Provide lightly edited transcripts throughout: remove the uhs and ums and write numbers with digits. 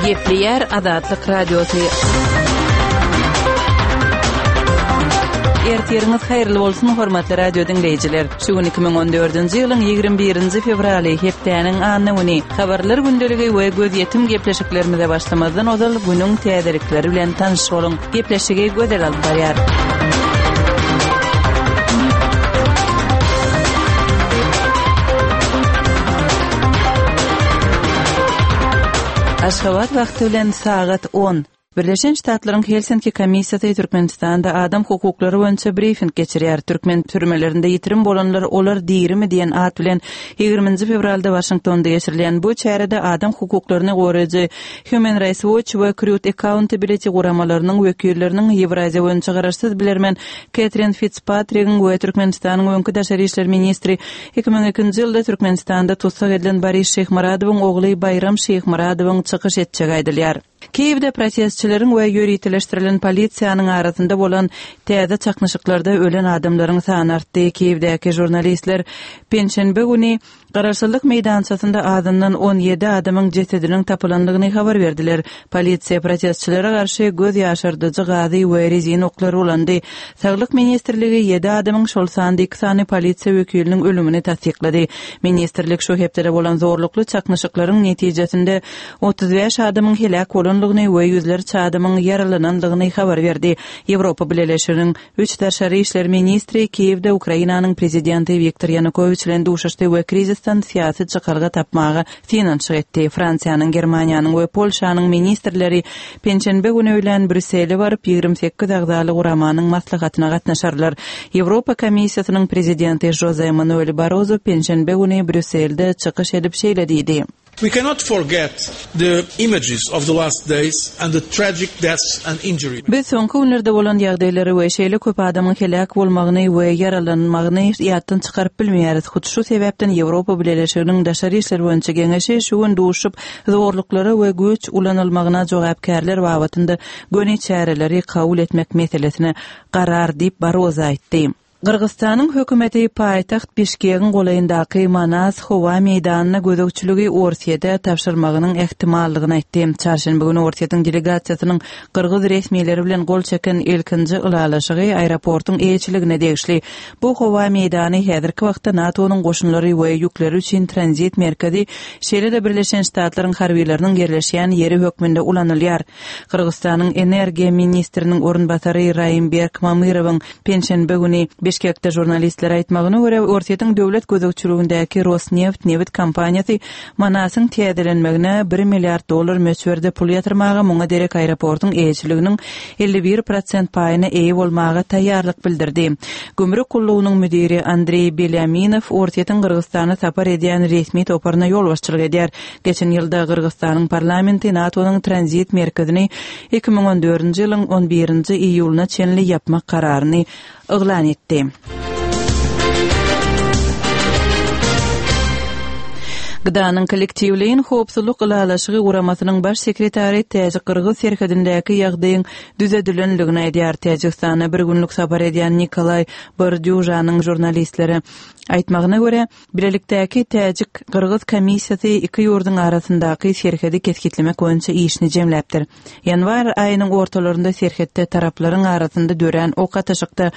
Gepleýär Azatlyk Radiosy. Ertiriňiz haýyrly bolsun, hormatly radio diňleýjiler. Şu gün 2014-nji ýylyň 21-nji fewraly, hepdäniň anna güni. Habarlar gündeligi we gözýetim gepleşiklerimize başlamazdan ozal günüň täzelikleri bilen tanyş boluň. Gepleşigi Gözel alyp barýar. Aşgabat wagty bilen sagat on. Birleşen Ştatlaryň Helsinki komissiýasy Türkmenistanda adam hukuklary boýunça brifing geçirýär. Türkmen türmelerinde ýitirim bolanlar olar dirimi diýen at bilen ýigriminji fewralda Waşingtonda geçirilýän bu çärede adam hukuklaryny goraýjy Human Rights Watch we Crewed Accountability guramalarynyň wekilleriniň, Ýewraziýa boýunça garaşsyz bilermen Ketrin Fitspatrigiň we Türkmenistanyň öňki daşary işler ministri, 2002-nji ýylda Türkmenistanda tussag edilen Boris Şyhmyradowyň ogly Baýram Şyhmyradowyň çykyş etjegi aýdylýar. Kiýewde protestçileriň we ýöriteleşdirilen polisiýanyň arasynda bolan täze çaknyşyklarda ölen adamlaryň sany artdy. Kiýewdäki žurnalistler penşenbe güni Garaşsyzlyk meýdançasynda azyndan 17 adamyň jesediniň tapylandygyny habar berdiler. Polisiýa protestçilere garşy göz ýaşardyjy gazy we rezin oklary ulandy. Saglyk ministrligi ýedi adamyň, şol sanda iki sany polisiýa wekiliniň ölümini tassyklady. Ministrlik şu hepdede bolan zorlukly çaknyşyklaryň netijesinde 35 adamyň heläk bolandygyny we ýüzlerçe adamyň ýaralanandygyny habar berdi. Ýewropa Bileleşiginiň Üç daşary işler ministri Kiýewde Ukrainanyň prezidenti Wiktor Ýanukowiç bilen duşuşdy we krizisden syýasy çykalga tapmaga synanyşyk etdi. Fransiýanyň, Germaniýanyň we Polşanyň ministrleri penşenbe güni öýlän Brýussele baryp, 28 agzaly guramanyň maslahatyna gatnaşarlar. Ýewropa Komissiýasynyň prezidenti Žoze Manuel Barrozo penşenbe güni Brýusselde çykyş edip şeýle diýdi. We cannot forget the images of the last days and the tragic deaths and injuries. Biz soňky günlerde bolan ýagdaýlary we şeýle köp adamyň heläk bolmagyny we ýaralanmagyny ýatdan çykaryp bilmeýäris. Hut şu sebäpden Ýewropa Bileleşiginiň Daşary işler boýunça Geňeşi şu gün duşup, zorluklara we güýç ulanylmagyna jogapkärler babatynda göni çäreleri kabul etmek meselesine garar diýip, Barrozo aýtdy. Gyrgyzystanyň hökümeti paýtagt Bişkegiň golaýyndaky Manas howa meýdanyna gözegçiligi Orsýete tabşyrmagynyň ähtimallygyny aýtdy. Çarşenbe güni Orsýetiň delegasiýasynyň gyrgyz resmileri bilen gol çeken ilkinji ylalaşygy aeroportuň eýeçiligine degişli. Bu howa meýdany häzirki wagtda NATO-nyň goşunlary we ýükleri üçin tranzit merkezi, şeýle-de Birleşen Ştatlaryň harbylarynyň ýerleşýän ýeri hökmünde ulanylýar. Gyrgyzystanyň energiýa ministriniň orunbasary Raimberk Mamyrowyň penşenbe güni Bişkekde žurnalistlere aýtmagyna görä, Orsýetiň döwlet gözegçiligindäki Rosneft nebit kompaniýasy Manasyň täzelenmegine bir milliard dollar möçberde pul ýatyrmaga, muňa derek aeroportuň eýeçiliginiň 51 prosent paýyna eýe bolmaga taýýarlyk bildirdi. Gümrük gullugynyň müdiri Andreý Belýaminow Orsýetiň Gyrgyzystana sapar edýän resmi toparyna ýolbaşçylyk edýär. Geçen ýylda Gyrgyzystanyň parlamenti NATO-nyň tranzit merkezini 2014-nji ýylyň on birinji iýulyna çenli ýapmak kararyny yglan etdi. GDA-nyň Kollektiwleýin howpsuzlyk ylalaşygy guramasynyň baş sekretary täjik-gyrgyz serhedindäki ýagdaýyň düzedilendigini aýdýar. Täjigistana bir günlük sapar edýän Nikolaý Bordýužanyň žurnalistlere aýtmagyna görä, Bilelikdäki täjik-gyrgyz komissiýasy iki ýurduň arasyndaky serhedi kesgitlemek boýunça işini jemläpdir. Ýanwar aýynyň ortalarynda serhetde taraplaryň arasynda dörän ok atyşykda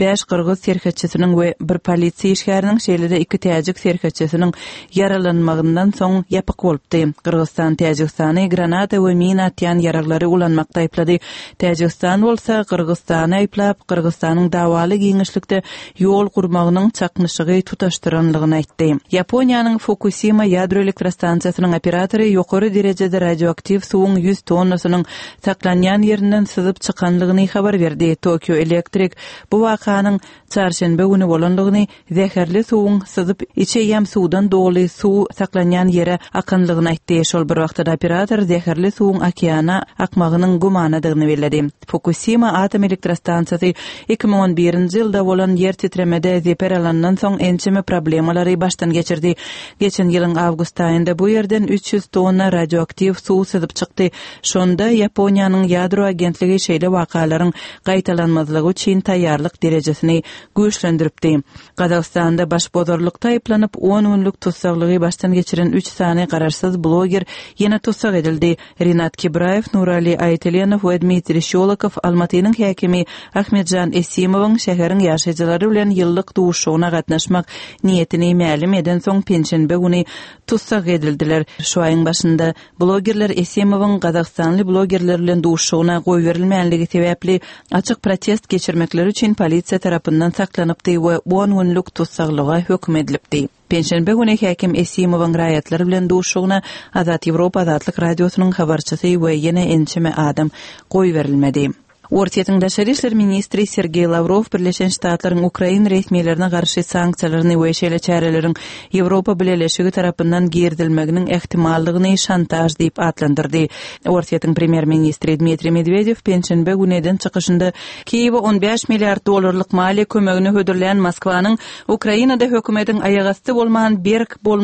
bäş gyrgyz serhetçisiniň we bir polisiýa işgäriniň, şeýle-de iki täjik serhetçisiniň ýaralanmagyndan soň ýapyk bolupdy. Gyrgyzystan Täjigistany granata we mina atýan ýaraglary ulanmakda aýyplady. Täjigistan bolsa Gyrgyzystany aýyplap, Gyrgyzystanyň dawaly giňişlikde ýol gurmagynyň çaknyşygy tutaşdyranlygyny aýtdy. Ýaponiýanyň Fukusima ýadro elektrostansiýasynyň operatory ýokary derejede radioaktiw suwuň 100 tonnasynyň saklanýan ýerinden syzyp çykanlygyny habar berdi. Tokio Electric bu wakanyň çarşenbe güni bolanlygyny, zäherli suwuň syzyp, içi eýýäm suwdan doly suw saklanýan ýere akanlygyny aýtdy. Şol bir wagtda-da operator zäherli suwuň okeana akmagynyň gümanadygyny belledi. Fukusima atom elektrostansiýasy 2011-nji ýylda bolan ýer titremede zeper alandan soň ençeme problemalary başdan geçirdi. Geçen ýylyň awgust aýynda bu ýerden 300 tonna radioaktiw suw syzyp çykdy. Şonda Ýaponiýanyň ýadro agentligi şeýle wakalaryň gaýtalanmazlygy üçin taýýarlyk derejesini güýçlendiripdi. Gazagystanda başbozarlykda aýyplanyp, on günlük tussaglygy başdan. geçiren üç sany garaşsyz bloger ýene tussag edildi. Rinat Kibraýew, Nurali Aýtelenow we Dmitriý Şýolokow Almatynyň häkimi Ahmetžan Esimowyň şäheriň ýaşaýjylary bilen ýyllyk duşuşygyna gatnaşmak niýetini mälim edensoň penşenbe güni tussag edildiler. Şu aýyň başynda blogerler Esimowyň gazagystanly blogerler bilen duşuşygyna goýberilmänligi sebäpli açyk protest geçirmekleri üçin polisiýa tarapyndan saklanypdy we on günlük tussaglyga höküm edilipdi. Penşenbe güni häkim Esimowyň raýatlar bilen duşuşygyna Azat Ýewropa Azatlyk Radiosynyň habarçysy we ýene ençeme adam goýberilmedi. Orsýetiň daşary işler ministri Sergeý Lawrow Birleşen Ştatlaryň ukrain resmilerine garşy sanksiýalaryny we şeýle çäreleriň Ýewropa Bileleşigi tarapyndan girizilmeginiň ähtimallygyny şantaž diýip atlandyrdy. Orsýetiň premýer-ministri Dmitriý Medwedew penşenbe güni eden çykyşynda Kiýewe 15 milliard dollarlyk maliýe kömegini hödürlän Moskwanyň Ukrainada hökümetiň aýagasty bolman berk bolmagyny.